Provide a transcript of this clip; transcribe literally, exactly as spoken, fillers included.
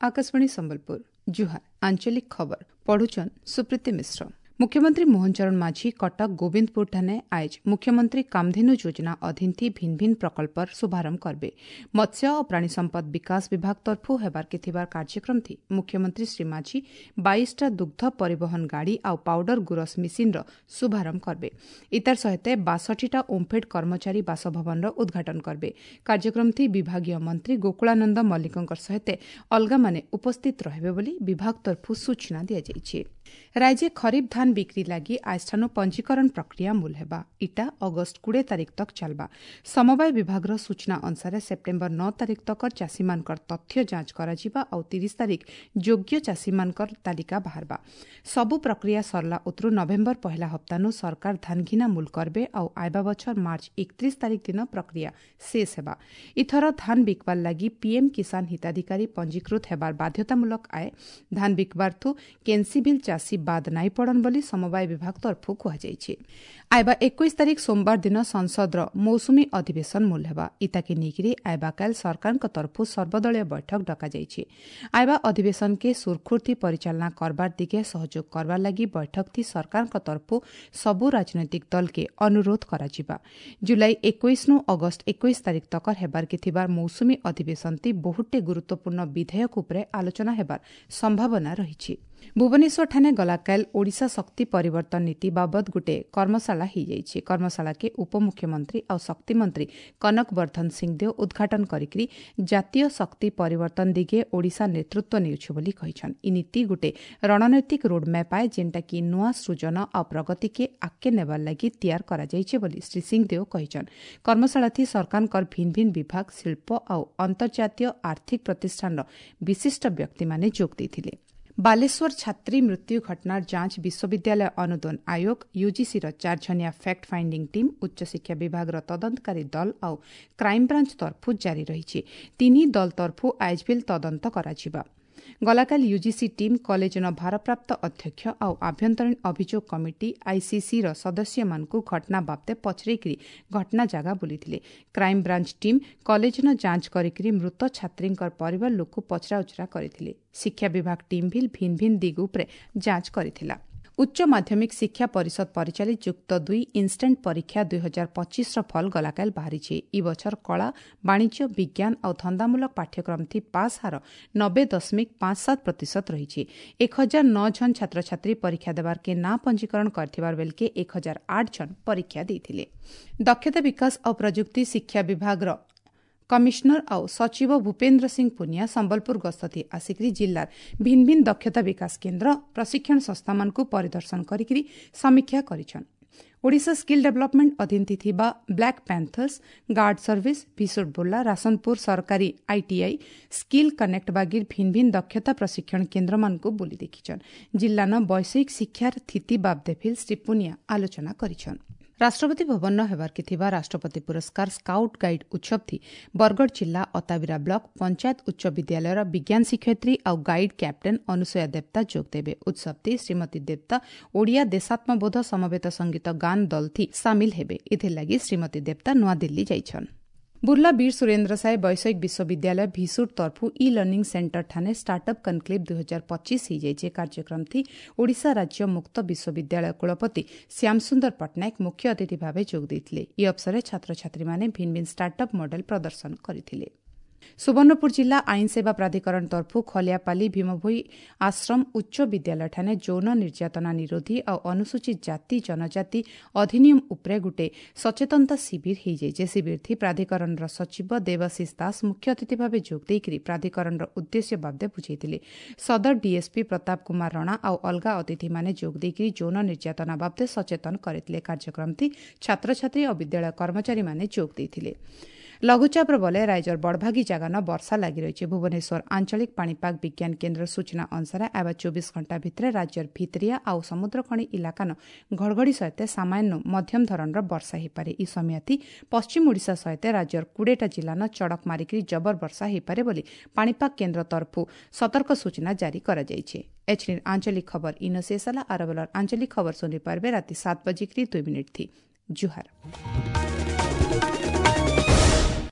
Akashvani Sambalpur ଜୁହାର ଆଞ୍ଚଳିକ ଖବର ପଢୁଛନ୍ ସୁପ୍ରୀତି ମିଶ୍ର ମୁଖ୍ୟମନ୍ତ୍ରୀ ମୋହନ ଚରଣ ମାଝୀ କଟକ ଗୋବିନ୍ଦପୁର ଠାନେ ଆଏଜ ମୁଖ୍ୟମନ୍ତ୍ରୀ କାମଧେନୁ ଯୋଜନା ଅଧୀନ ଥି ଭିନ୍ ଭିନ୍ ପ୍ରକଳ୍ପର ଶୁଭାରମ୍ଭ କରବେ ମତ୍ସ୍ୟ ଓ ପ୍ରାଣୀ ସମ୍ପଦ ବିକାଶ ବିଭାଗ ତରଫୁ ହେବାର ଥିବାର କାର୍ଯ୍ୟକ୍ରମ ଥି ମୁଖ୍ୟମନ୍ତ୍ରୀ ଶ୍ରୀ ମାଝୀ ବାଇଶଟା ଦୁଗ୍ଧ ପରିବହନ ଗାଡ଼ି ଆଉ ପାଉଡର ଗୁରସ ମିସିନ୍ର ଶୁଭାରମ୍ଭ କରବେ ଇତାର ସହିତ ବାଷଠିଟା ଓମ୍ଫେଡ୍ କର୍ମଚାରୀ ବାସଭବନର ଉଦ୍ଘାଟନ କରବେ କାର୍ଯ୍ୟକ୍ରମ ଥି ବିଭାଗୀୟ ମନ୍ତ୍ରୀ ଗୋକୁଳାନନ୍ଦ ମଲ୍ଲିକଙ୍କ ସହିତ ଅଲଗାମାନେ ଉପସ୍ଥିତ ରହିବେ ବୋଲି ବିଭାଗ ତରଫୁ ସୂଚନା ଦିଆଯାଇଛି ରାଜ୍ୟ ଖରିଫ ଧାନ ବିକ୍ରି ଲାଗି ଆଜଠାନୁ ପଞ୍ଜୀକରଣ ପ୍ରକ୍ରିୟା ମୂଲ ହେବା ଇଟା ଅଗଷ୍ଟ କୋଡ଼ିଏ ତାରିଖ ତକ ଚାଲବା ସମବାୟ ବିଭାଗର ସୂଚନା ଅନୁସାରେ ସେପ୍ଟେମ୍ବର ନଅ ତାରିଖ ତକର ଚାଷୀମାନଙ୍କର ତଥ୍ୟ ଯାଞ୍ଚ କରାଯିବା ଆଉ ତିରିଶ ତାରିଖ ଯୋଗ୍ୟ ଚାଷୀମାନଙ୍କର ତାଲିକା ବାହାରବା ସବୁ ପ୍ରକ୍ରିୟା ସରିଲା ଉତରୁ ନଭେମ୍ବର ପହିଲା ହପ୍ତାନୁ ସରକାର ଧାନ ଘିନା ମୂଲ କରବେ ଆଉ ଆଇବା ବଛର ମାର୍ଚ୍ଚ ଏକତ୍ରିଶ ତାରିଖ ଦିନ ପ୍ରକ୍ରିୟା ଶେଷ ହେବା ଇଥର ଧାନ ବିକବାର ଲାଗି ପିଏମ୍ କିଷାନ ହିତାଧିକାରୀ ପଞ୍ଜୀକୃତ ହେବାର ବାଧ୍ୟତାମୂଳକ ଆଏ ଧାନ ବିକବାରଥୁ କେନ୍ସି ବିଲ୍ ଚାଷୀ ବାଦ ନାଇଁ ପଡ଼ନ୍ ବୋଲି ସମବାୟ ବିଭାଗ ତରଫୁ କୁହାଯାଇଛି ଆଇବା ଏକୋଇଶ ତାରିଖ ସୋମବାର ଦିନ ସଂସଦର ମୌସୁମୀ ଅଧିବେଶନ ମୂଲ ହେବା ଇତାକେ ନେଇକରି ଆଇବାକାଲ ସରକାରଙ୍କ ତରଫୁ ସର୍ବଦଳୀୟ ବୈଠକ ଡକାଯାଇଛି ଆଇବା ଅଧିବେଶନକେ ସୁରଖୁରଥି ପରିଚାଳନା କରବାର ଦିଗେ ସହଯୋଗ କରବାର ଲାଗି ବୈଠକ ଥି ସରକାରଙ୍କ ତରଫୁ ସବୁ ରାଜନୈତିକ ଦଲକେ ଅନୁରୋଧ କରାଯିବା ଜୁଲାଇ ଏକୋଇଶନୁ ଅଗଷ୍ଟ ଏକୋଇଶ ତାରିଖ ତକର ହେବାରକେ ଥିବାର ମୌସୁମୀ ଅଧିବେଶନତି ବହୁଟେ ଗୁରୁତ୍ୱପୂର୍ଣ୍ଣ ବିଧେୟକ ଉପରେ ଆଲୋଚନା ହେବାର ସମ୍ଭାବନା ରହିଛି ଭୁବନେଶ୍ୱରଠାନେ ଗଲାକାଲ ଓଡ଼ିଶା ଶକ୍ତି ପରିବର୍ତ୍ତନ ନୀତି ବାବଦ ଗୋଟିଏ କର୍ମଶାଳା ହୋଇଯାଇଛି କର୍ମଶାଳାକେ ଉପମୁଖ୍ୟମନ୍ତ୍ରୀ ଆଉ ଶକ୍ତିମନ୍ତ୍ରୀ କନକ ବର୍ଦ୍ଧନ ସିଂଦେଓ ଉଦ୍ଘାଟନ କରିକି ଜାତୀୟ ଶକ୍ତି ପରିବର୍ତ୍ତନ ଦିଗେ ଓଡ଼ିଶା ନେତୃତ୍ୱ ନେଉଛି ବୋଲି କହିଛନ୍ ଇ ନୀତି ଗୋଟିଏ ରଣନୈତିକ ରୋଡ୍ମ୍ୟାପ୍ ଆଏ ଯେନ୍ଟାକି ନୂଆ ସୃଜନ ଆଉ ପ୍ରଗତିକେ ଆଗକେ ନେବାର ଲାଗି ତିଆର କରାଯାଇଛି ବୋଲି ଶ୍ରୀ ସିଂଦେଓ କହିଛନ୍ କର୍ମଶାଳାଥି ସରକାରଙ୍କର ଭିନ୍ ଭିନ୍ ବିଭାଗ ଶିଳ୍ପ ଆଉ ଅନ୍ତର୍ଜାତୀୟ ଆର୍ଥିକ ପ୍ରତିଷ୍ଠାନର ବିଶିଷ୍ଟ ବ୍ୟକ୍ତିମାନେ ଯୋଗ ଦେଇଥିଲେ ବାଲେଶ୍ୱର ଛାତ୍ରୀ ମୃତ୍ୟୁ ଘଟଣାର ଯାଞ୍ଚ ବିଶ୍ୱବିଦ୍ୟାଳୟ ଅନୁଦାନ ଆୟୋଗ ୟୁଜିସିର ଚାରିଜଣିଆ ଫ୍ୟାକ୍ଟ ଫାଇଣ୍ଡିଂ ଟିମ୍ ଉଚ୍ଚଶିକ୍ଷା ବିଭାଗର ତଦନ୍ତକାରୀ ଦଳ ଆଉ କ୍ରାଇମବ୍ରାଞ୍ଚ ତରଫୁ ଜାରି ରହିଛି ତିନି ଦଳ ତରଫୁ ଆଇଜବିଲ୍ ତଦନ୍ତ କରାଯିବା ଗଲାକାଲି ୟୁଜିସି ଟିମ୍ କଲେଜର ଭାରପ୍ରାପ୍ତ ଅଧ୍ୟକ୍ଷ ଆଉ ଆଭ୍ୟନ୍ତରୀଣ ଅଭିଯୋଗ କମିଟି ଆଇସିସିର ସଦସ୍ୟମାନଙ୍କୁ ଘଟଣା ବାବଦେ ପଚରେଇକରି ଘଟଣା ଜାଗା ବୁଲିଥିଲେ କ୍ରାଇମବ୍ରାଞ୍ଚ ଟିମ୍ କଲେଜର ଯାଞ୍ଚ କରିକି ମୃତ ଛାତ୍ରୀଙ୍କର ପରିବାର ଲୋକ ପଚରାଉଚରା କରିଥିଲେ ଶିକ୍ଷା ବିଭାଗ ଟିମ୍ ଭିଲ୍ ଭିନ୍ ଭିନ୍ ଦିଗ ଉପରେ ଯାଞ୍ଚ କରିଥିଲା ଉଚ୍ଚ ମାଧ୍ୟମିକ ଶିକ୍ଷା ପରିଷଦ ପରିଚାଳିତ ଯୁକ୍ତ ଦୁଇ ଇନ୍ଷ୍ଟାଣ୍ଟ ପରୀକ୍ଷା ଦୁଇ ହଜାର ପଚିଶର ଫଲ ଗଲାକାଲ ବାହାରିଛି ଇ ବଛର କଳା ବାଣିଜ୍ୟ ବିଜ୍ଞାନ ଆଉ ଧନ୍ଦାମୂଳକ ପାଠ୍ୟକ୍ରମ ଥି ପାସ୍ ହାର ନବେ ଦଶମିକ ପାଞ୍ଚ ସାତ ପ୍ରତିଶତ ରହିଛି ଏକ ହଜାର ନଅ ଜଣ ଛାତ୍ରଛାତ୍ରୀ ପରୀକ୍ଷା ଦେବାର୍କେ ନାଁ ପଞ୍ଜୀକରଣ କରିଥିବାର ବେଲକେ ଏକ ହଜାର ଆଠ ଜଣ ପରୀକ୍ଷା ଦେଇଥିଲେ ଦକ୍ଷତା ବିକାଶ ଆଉ ପ୍ରଯୁକ୍ତି ଶିକ୍ଷା ବିଭାଗର କମିଶନର ଆଉ ସଚିବ ଭୂପେନ୍ଦ୍ର ସିଂ ପୁନିଆ ସମ୍ବଲପୁର ଗସ୍ତ ଆସିକରି ଜିଲ୍ଲାର ଭିନ୍ ଭିନ୍ ଦକ୍ଷତା ବିକାଶ କେନ୍ଦ୍ର ପ୍ରଶିକ୍ଷଣ ସଂସ୍ଥାମାନଙ୍କୁ ପରିଦର୍ଶନ କରିକି ସମୀକ୍ଷା କରିଛନ୍ ଓଡ଼ିଶା ସ୍କିଲ୍ ଡେଭଲପମେଣ୍ଟ ଅଧୀନ ଥିବା ବ୍ଲାକ୍ ପ୍ୟାନ୍ଥର୍ସ ଗାର୍ଡ ସର୍ଭିସ ଭିସୁଟ ବୁର୍ଲା ରାସନପୁର ସରକାରୀ ଆଇଟିଆଇ ସ୍କିଲ୍ କନେକ୍ଟ ବାଗିର ଭିନ୍ ଭିନ୍ ଦକ୍ଷତା ପ୍ରଶିକ୍ଷଣ କେନ୍ଦ୍ରମାନଙ୍କୁ ବୁଲି ଦେଖିଛନ୍ ଜିଲ୍ଲାନ ବୈଷୟିକ ଶିକ୍ଷାର ସ୍ଥିତି ବାବଦେ ଫିଲ୍ ଶ୍ରୀ ପୁନିଆ ଆଲୋଚନା କରିଛନ୍ ରାଷ୍ଟ୍ରପତି ଭବନ ହେବାର୍କେ ଥିବା ରାଷ୍ଟ୍ରପତି ପୁରସ୍କାର ସ୍କାଉଟ୍ ଗାଇଡ୍ ଉତ୍ସବଥି ବରଗଡ଼ ଜିଲ୍ଲା ଅତାବିରା ବ୍ଲକ ପଞ୍ଚାୟତ ଉଚ୍ଚ ବିଦ୍ୟାଳୟର ବିଜ୍ଞାନ ଶିକ୍ଷୟିତ୍ରୀ ଆଉ ଗାଇଡ୍ କ୍ୟାପ୍ଟେନ୍ ଅନୁସୂୟା ଦେବତା ଯୋଗ ଦେବେ ଉତ୍ସବଥି ଶ୍ରୀମତୀ ଦେବତା ଓଡ଼ିଆ ଦେଶାତ୍ମବୋଧ ସମବେତ ସଙ୍ଗୀତ ଗାନ ଦଲଥି ସାମିଲ ହେବେ ଏଥିଲାଗି ଶ୍ରୀମତୀ ଦେବତା ନୂଆଦିଲ୍ଲୀ ଯାଇଛନ୍ ବୁର୍ଲା ବୀର ସୁରେନ୍ଦ୍ର ସାଏ ବୈଷୟିକ ବିଶ୍ୱବିଦ୍ୟାଳୟ ଭିସୁଟ ତରଫୁ ଇ ଲର୍ଣ୍ଣିଂ ସେଣ୍ଟର ଠାନେ ଷ୍ଟାର୍ଟଅପ୍ କନକ୍ଲେଭ୍ ଦୁଇ ହଜାର ପଚିଶ ହୋଇଯାଇଛି କାର୍ଯ୍ୟକ୍ରମ ଥି ଓଡ଼ିଶା ରାଜ୍ୟ ମୁକ୍ତ ବିଶ୍ୱବିଦ୍ୟାଳୟ କୁଳପତି ଶ୍ୟାମସୁନ୍ଦର ପଟ୍ଟନାୟକ ମୁଖ୍ୟ ଅତିଥି ଭାବେ ଯୋଗ ଦେଇଥିଲେ ଏହି ଅବସରରେ ଛାତ୍ରଛାତ୍ରୀମାନେ ଭିନ୍ ଭିନ୍ ଷ୍ଟାର୍ଟଅପ୍ ମଡେଲ ପ୍ରଦର୍ଶନ କରିଥିଲେ ସୁବର୍ଣ୍ଣପୁର ଜିଲ୍ଲା ଆଇନ ସେବା ପ୍ରାଧିକରଣ ତରଫୁ ଖଲିଆପାଲି ଭୀମଭୋଇ ଆଶ୍ରମ ଉଚ୍ଚ ବିଦ୍ୟାଳୟଠାନେ ଯୌନ ନିର୍ଯାତନା ନିରୋଧୀ ଆଉ ଅନୁସୂଚିତ ଜାତି ଜନଜାତି ଅଧିନିୟମ ଉପରେ ଗୋଟିଏ ସଚେତନତା ଶିବିର ହୋଇଯାଇଛି ଶିବିରଥି ପ୍ରାଧିକରଣର ସଚିବ ଦେବାଶିଷ ଦାସ ମୁଖ୍ୟ ଅତିଥି ଭାବେ ଯୋଗ ଦେଇକରି ପ୍ରାଧିକରଣର ଉଦ୍ଦେଶ୍ୟ ବାବଦେ ବୁଝାଇଥିଲେ ସଦର ଡିଏସ୍ପି ପ୍ରତାପ କୁମାର ରଣା ଆଉ ଅଲଗା ଅତିଥିମାନେ ଯୋଗ ଦେଇକରି ଯୌନ ନିର୍ଯାତନା ବାବଦେ ସଚେତନ କରିଥିଲେ କାର୍ଯ୍ୟକ୍ରମଥି ଛାତ୍ରଛାତ୍ରୀ ଓ ବିଦ୍ୟାଳୟ କର୍ମଚାରୀମାନେ ଯୋଗ ଦେଇଥିଲେ ଲଘୁଚାପର ବଲେ ରାଜ୍ୟର ବଡ଼ଭାଗୀ ଜାଗାନ ବର୍ଷା ଲାଗି ରହିଛି ଭୁବନେଶ୍ୱର ଆଞ୍ଚଳିକ ପାଣିପାଗ ବିଜ୍ଞାନ କେନ୍ଦ୍ର ସୂଚନା ଅନୁସାରେ ଆଇବା ଚବିଶ ଘଣ୍ଟା ଭିତରେ ରାଜ୍ୟର ଭିତରିଆ ଆଉ ସମୁଦ୍ରଖଣି ଇଲାକାନ ଘଡ଼ଘଡ଼ି ସହିତ ସାମାନ୍ୟ ମଧ୍ୟମ ଧରଣର ବର୍ଷା ହୋଇପାରେ ଇ ସମୟାତି ପଶ୍ଚିମ ଓଡ଼ିଶା ସହିତ ରାଜ୍ୟର କୋଡ଼ିଏଟା ଜିଲ୍ଲାନ ଚଡ଼କ ମାରିକରି ଜବର ବର୍ଷା ହୋଇପାରେ ବୋଲି ପାଣିପାଗ କେନ୍ଦ୍ର ତରଫରୁ ସତର୍କ ସୂଚନା ଜାରି କରାଯାଇଛି ଏଚ୍ନି ଆଞ୍ଚଳିକ ଖବର ଇନ ଶେଷ ହେଲା ଆରବଲର ଆଞ୍ଚଳିକ ଖବର ଶୁଣିପାରିବେ ରାତି ସାତ ବଜିକରି ଦୁଇ ମିନିଟ୍ ଥି ଜୁହାର।